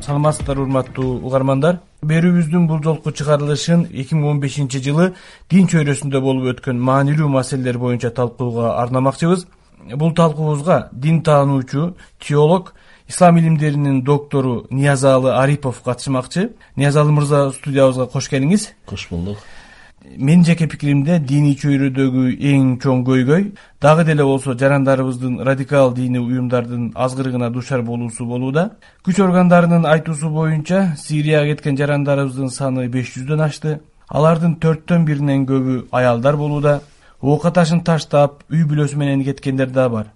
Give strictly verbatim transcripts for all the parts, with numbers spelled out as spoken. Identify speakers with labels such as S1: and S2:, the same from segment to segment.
S1: саламатсыздарбы урматтуу угармандар. Берүүбүздүн бул жолку чыгарылышын эки миң он бешинчи жылы дин чөйрөсүндө болуп өткөн маанилүү маселелер боюнча талкууга арнамакчыбыз. Бул талкуубузга дин таануучу, теолог, ислам илимдеринин доктору Ниязалы Арипов катышмакчы. Ниязалы мырза, студиябызга кош келиңиз.
S2: Кош болдук.
S1: Менин жеке пикиримде диний чөйрөдөгү эң чоң көйгөй дагы деле болсо жарандарыбыздын радикал диний уюмдардын азгырыгына душар болуусу болууда. Күч органдарынын айтуусу боюнча Сирияга кеткен жарандарыбыздын саны беш жүздөн ашты. Алардын төрттөн биринен көбү аялдар болууда. Ока ташын таштап, үй бүлөсү менен кеткендер да бар.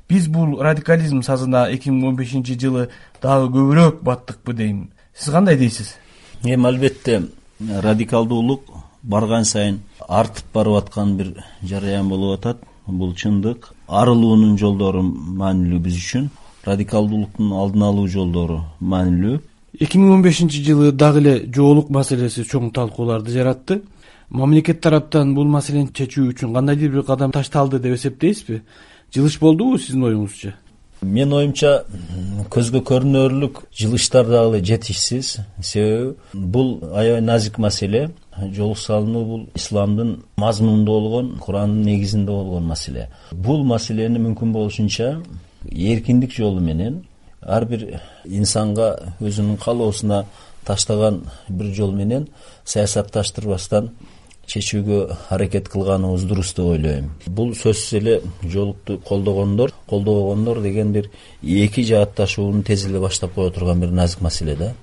S1: Биз бул радикализм сазына эки миң он бешинчи жылы дагы көбүрөөк баттыкпы дейм. Сиз кандай дейсиз?
S2: Эми албетте радикалдуулук барган сайын артып барып аткан бир жараян болуп атат. Бул чындык. Арылуунун жолдору маанилүү биз үчүн. Радикалдуулуктун алдын алуу жолдору маанилүү.
S1: эки миң он бешинчи жылы дагы эле жоолук маселеси чоң талкууларды жаратты. Мамлекет тараптан бул маселени чечүү үчүн кандайдыр бир кадам ташталды деп эсептейсизби? Жылыш болдубу сиздин оюңузча?
S2: Менин оюмча көзгө көрүнөрлүк жылыштар дагы жетишсиз. Себеби бул аябай назик маселе. Жолук салынуу бул исламдын мазмунунда болгон, Курандын негизинде болгон маселе. Бул маселени мүмкүн болушунча эркиндик жолу менен ар бир инсанга өзүнүн каалоосуна таштаган бир жол менен саясатташтырбастан чечүүгө аракет кылганыбыз дурус деп ойлойм. Бул сөзсүз эле жоолукту колдогондор, колдобогондор деген бир эки жаатташууну тез эле баштап кое турган бир назик маселе да.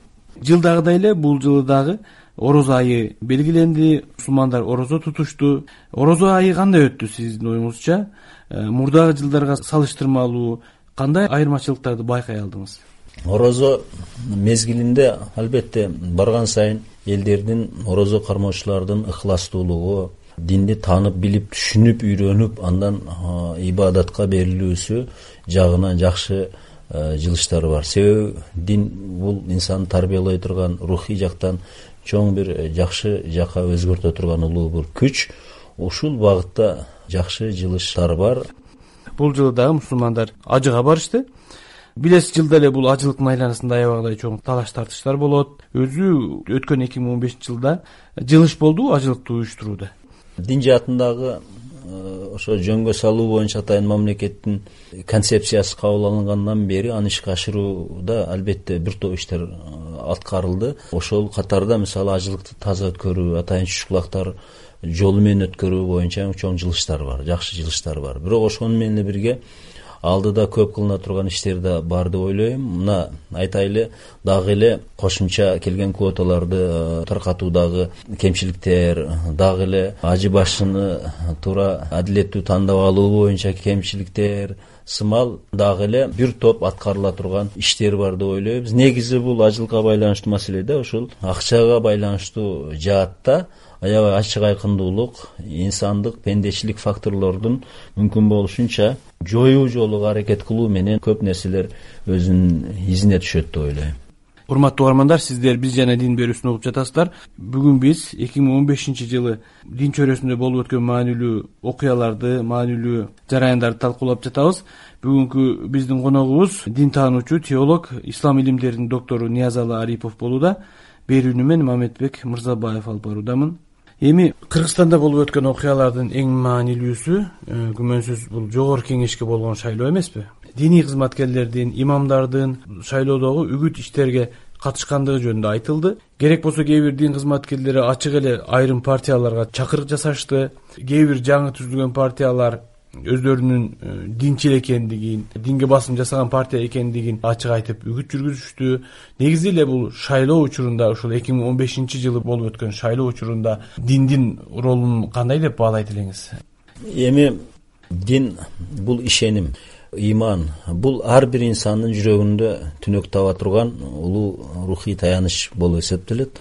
S1: Жылдагыдай эле бул жылы дагы орозо айы белгиленди, мусулмандар орозо тутушту. Орозо айы кандай өттү сиздин оюңузча? Мурдагы жылдарга салыштырмалуу кандай айырмачылыктарды байкай алдыңыз?
S2: Орозо мезгилинде албетте барган сайын элдердин, орозо кармоочулардын ыхластуулугу, динди таанып, билип, түшүнүп, үйрөнүп, андан ибадатка берилүүсү жагынан жакшы жылыштары бар. Себеби дин бул инсанды тарбиялай турган, рухий жактан чоң бир жакшы жака өзгөртө турган улуу бир күч. Ушул багытта жакшы жылыштар бар.
S1: Бул жылы дагы мусулмандар ажыга барышты. Билесиз, жылда эле бул ажылыктын айланасында аябагыдай чоң талаш тартыштар болот. Өзү өткөн эки миң он бешинчи жылда жылыш болду ажылыкты уюштурууда.
S2: Дин жаатындагы ошо жөнгө салуу боюнча атайын мамлекеттин концепциясы кабыл алынгандан бери аны ишке ашырууда албетте бир топ иштер аткарылды. Ошол катарда мисалы ажылыкты таза өткөрүү, атайын чучкулактар жолу менен өткөрүү боюнча чоң жылыштар бар, жакшы жылыштар бар. Бирок ошону менен бирге алдыда көп кылына турган иштер да бар деп ойлойм. Мына айтайлы, дагы эле кошумча келген квоталарды таркатуудагы кемчиликтер, дагы эле ажы башыны туура адилеттүү тандап алуу боюнча кемчиликтер сымал дагы эле бир топ аткарыла турган иштер бар деп ойлойбуз. Негизи бул ажылыкка байланыштуу маселеде ошол акчага байланыштуу жаатта аябай ачык айкындуулук, инсандык, пендечилик факторлордун мүмкүн болушунча жоюу жолуга аракет кылуу менен көп нерселер өзүнүн изине түшөт деп ойлойм.
S1: Урматтуу угармандар, сиздер Биз жана дин берүүсүн угуп жатасыздар. Бүгүн биз эки миң он бешинчи жылы дин чөйрөсүндө болуп өткөн маанилүү окуяларды, маанилүү жараяндарды талкуулап жатабыз. Бүгүнкү биздин коногубуз дин таануучу, теолог, ислам илимдеринин доктору Ниязалы Арипов болууда. Берүүнү мен Мамедбек Мырзабаев алып баруудамын. Эми Кыргызстанда болуп өткөн окуялардын эң маанилүүсү күмөнсүз бул жогорку кеңешке болгон шайлоо эмеспи? Диний кызматкерлердин, имамдардын шайлоодогу үгүт иштерге катышкандыгы жөнүндө айтылды. Керек болсо кээ бир дин кызматкерлери ачык эле айрым партияларга чакырык жасашты. Кээ бир жаңы түзүлгөн партиялар өздөрүнүн динчил экендигин, динге басым жасаган партия экендигин ачык айтып үгүт жүргүзүштү. Негизи эле бул шайлоо учурунда, ушул эки миң он бешинчи жылы болуп өткөн шайлоо учурунда диндин ролун кандай деп баалайт элеңиз?
S2: Эми дин бул ишеним, иман, бул ар бир инсандын жүрөгүндө түнөк таба турган улуу рухий таяныч болуп эсептелет.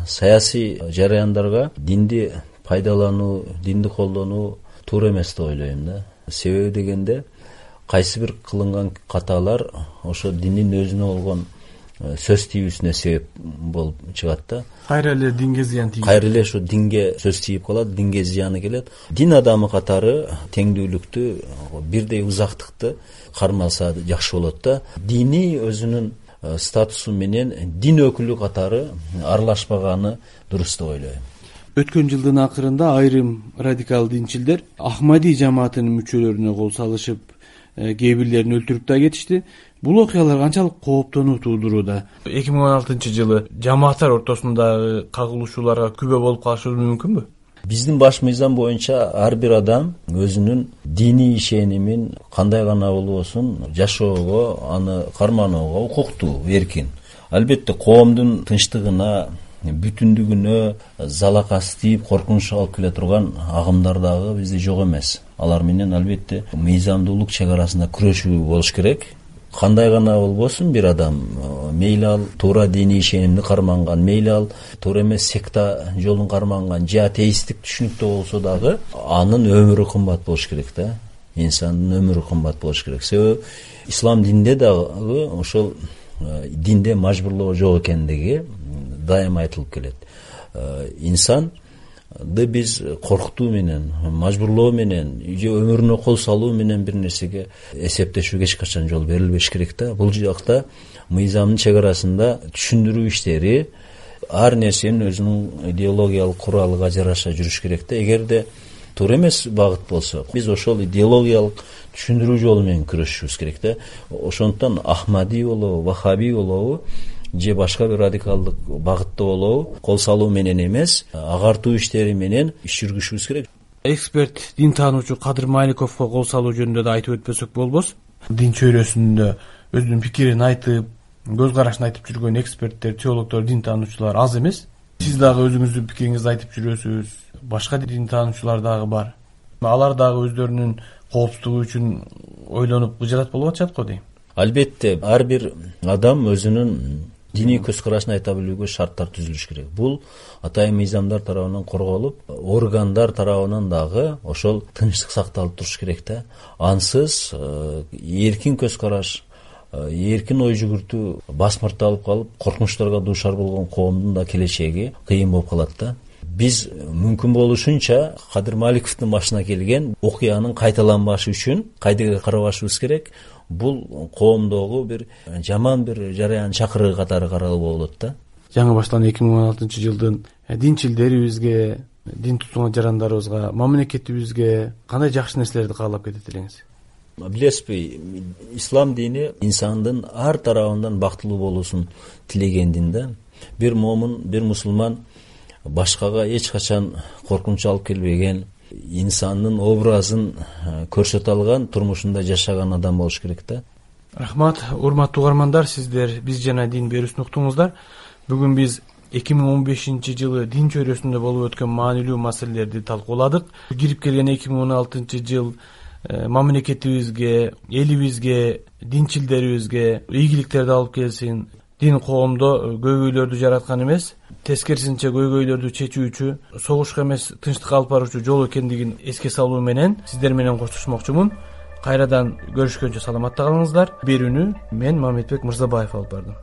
S2: Саясий жараяндарга динди пайдалануу, динди колдонуу туура эмес деп ойлойм да. Себеби дегенде кайсы бир кылынган каталар ошо диндин өзүнө болгон сөз тийүүсүнө себеп болуп чыгат да.
S1: Кайра эле динге зыян тийет.
S2: Кайра эле ошо динге сөз тийип калат, динге зыяны келет. Дин адамы катары теңдүүлүктү, бирдей узактыкты кармаса жакшы болот да. Дини өзүнүн статусу менен дин өкүлү катары аралашпаганы дурус деп ойлойм.
S1: Өткөн жылдын акырында айрым радикал динчилдер Ахмади жамаатынын мүчөлөрүнө кол салышып, кээ бирлерин өлтүрүп да кетишти. Бул окуялар канчалык кооптонуу туудурууда? эки миң он алтынчы жылы жамааттар ортосундагы кагылышууларга күбө болуп калышыбыз мүмкүнбү?
S2: Биздин баш мыйзам боюнча ар бир адам өзүнүн диний ишенимин кандай гана болбосун жашоого, аны карманууга укуктуу, эркин. Албетте коомдун тынчтыгына, бүтүндүгүнө залакасы тийип коркунуч алып келе турган агымдар дагы бизде жок эмес. Алар менен албетте мыйзамдуулук чек арасында күрөшүү болуш керек. Кандай гана болбосун бир адам, мейли ал туура диний ишенимди карманган, мейли ал туура эмес секта жолун карманган, же атеисттик түшүнүктө болсо дагы анын өмүрү кымбат болуш керек да. Инсандын өмүрү кымбат болуш керек. Себеби ислам динде дагы ошол динде мажбурлоо жок экендиги дайыма айтылып келет. Инсанды биз коркутуу менен, мажбурлоо менен, же өмүрүнө кол салуу менен бир нерсеге эсептешүүгө эч качан жол берилбеш керек да. Бул жакта мыйзамдын чек арасында түшүндүрүү иштери, ар нерсенин өзүнүн идеологиялык куралыга жараша жүрүш керек да. Эгерде туура эмес багыт болсо, биз ошол идеологиялык түшүндүрүү жолу менен күрөшүшүбүз керек да. Ошондуктан Ахмади болобу, Вахаби болобу, же башка бир радикалдык багытта болобу, кол салуу менен эмес, агартуу иштери менен иш жүргүзүшүбүз керек.
S1: Эксперт, дин таануучу Кадыр Маликовго кол салуу жөнүндө да айтып өтпөсөк болбос. Дин чөйрөсүндө өзүнүн пикирин айтып, көз карашын айтып жүргөн эксперттер, теологдор, дин таануучулар аз эмес. Сиз дагы өзүңүздүн пикириңизди айтып жүрөсүз. Башка дин таануучулар дагы бар. Алар дагы өздөрүнүн коопсуздугу үчүн ойлонуп гыжырат болуп атышат го дейм.
S2: Албетте, ар бир адам өзүнүн диний көз карашын айта билүүгө шарттар түзүлүш керек. Бул атайын мыйзамдар тарабынан корголуп, органдар тарабынан дагы ошол тынчтык сакталып туруш керек да. Ансыз эркин көз караш, эркин ой жүгүртүү басмырталып калып, коркунучтарга дуушар болгон коомдун да келечеги кыйын болуп калат да. Биз мүмкүн болушунча Кадыр Маликовдун башына келген окуянын кайталанбашы үчүн кайдыга карабашыбыз керек. Бул коомдогу бир жаман бир жараян чакырыгы катары каралууга болот да.
S1: Жаңы башталган эки миң он алтынчы жылдын динчилдерибизге, дин тутунган жарандарыбызга, мамлекетибизге кандай жакшы нерселерди каалап кетет элеңиз?
S2: Билесизби, ислам дини инсандын ар тарабынан бактылуу болуусун тилеген дин да. Бир момун, бир мусулман башкага эч качан коркунуч алып келбеген, инсандын образын көрсөтө алган, турмушунда жашаган адам болуш керек да.
S1: Рахмат, урматтуу угармандар, сиздер Биз жана дин берүүсүн уктуңуздар. Бүгүн биз эки миң он бешинчи жылы дин чөйрөсүндө болуп өткөн маанилүү маселелерди талкууладык. Кирип келген эки миң он алтынчы жыл мамлекетибизге, элибизге, динчилдерибизге ийгиликтерди алып келсин. Дин коомдо көйгөйлөрдү жараткан эмес, тескерисинче көйгөйлөрдү чечүүчү, согушка эмес тынчтыкка алып баруучу жол экендигин эске салуу менен сиздер менен коштошмокчумун. Кайрадан көрүшкөнчө саламатта калыңыздар. Берүүнү мен Мамедбек Мырзабаев алып бардым.